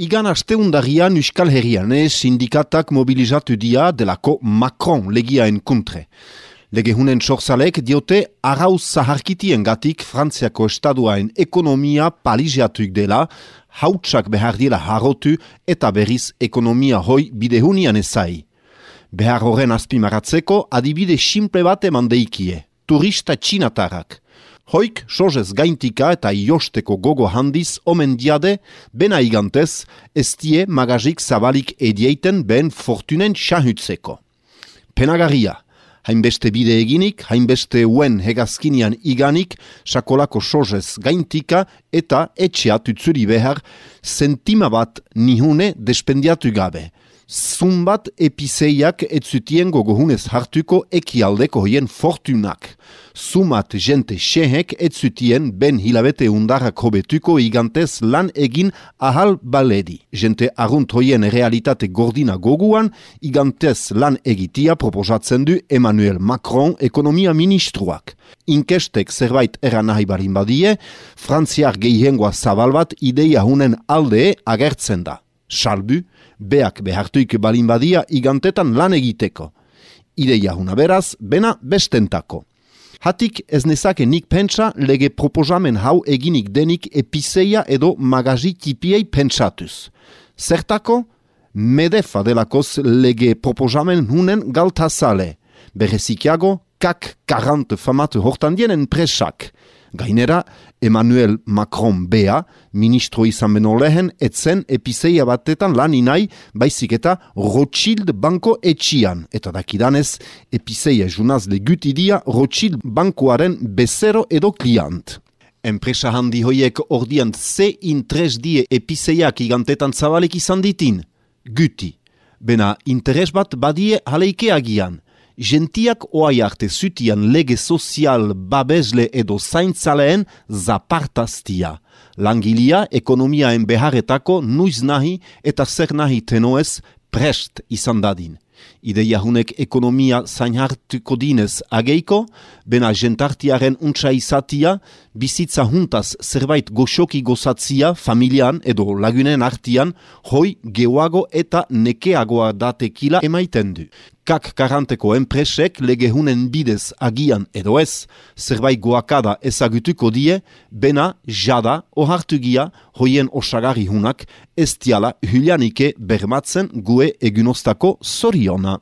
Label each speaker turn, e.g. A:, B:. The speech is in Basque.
A: Igan asteundarian Euskal Herrian sindikatak mobilizatu dia delako Macron legiaen kontre. Legehunen sorzalek diote arrauz zaharkitien gatik Frantziako estaduaen ekonomia paliziatuik dela, hautsak behar dira harrotu eta berriz ekonomia hoi bidehunian ezai. Behar horren azpimaratzeko adibide simple bat eman deikie, turista txinatarrak. Hoik, sozez gaintika eta iosteko gogo handiz omen diade, bena igantez, ez die magazik zabalik edieiten ben fortunen xahutzeko. Penagarria, hainbeste bide eginik, hainbeste uen hegazkinian iganik, sakolako sozez gaintika eta etxea tutzuri behar, sentima bat nihune despendiatu gabe. Zumbat epizeiak etzutien gogohunez hartuko ekialdeko hoien fortunak. Zumat jente xehek etzutien ben hilabete undarrak hobetuko igantez lan egin ahal baledi. Jente arrunt hoien realitate gordina goguan, igantez lan egitia proposatzen du Emmanuel Macron ekonomia ministruak. Inkestek zerbait eran nahi barin badie, frantziar gehiengoa zabal bat ideia hunen alde agertzen da. Salbu, beak behartuik balin badia igantetan lan egiteko. Ideia huna beraz, bena bestentako. Hatik ez nezake nik pentsa lege proposamen hau eginik denik epizeia edo magazi tipiei pentsatuz. Zertako, medefa delakoz lege proposamen hunen galtazale. Berezikiago, kak 40 famatu hortan dienen presak. Gainera, Emmanuel Macron bea, ministro izan beno lehen, etzen epizeia batetan lan inai, baizik eta Rothschild banko etxian. Eta dakidanez, epizeia junazle gutidia Rothschild bankoaren bezero edo kliant. Enpresa handi hoiek ordian ze interes die epizeiak igantetan zabalik izan ditin? Guti. Bena interes bat badie haleike agian. Gentiak oai arte zutian lege sozial babesle edo zaintzaleen zapartaztia. Langilia ekonomiaen beharretako nuiz nahi eta zer nahi tenoez prest izan dadin. Ideia hunek ekonomia zainhartuko dinez ageiko, bena jentartiaren untsa izatia, bizitza juntaz zerbait goxoki gozatzia familian edo lagunen artian, hoi geoago eta nekeagoa datekila emaiten du. Kak 40ko enpresek legehunen bidez agian edo ez, zerbait goakada ezagutuko die, bena jada ohartugia hoien osagarri hunak ez diala hylianike bermatzen gue egunostako zoriona.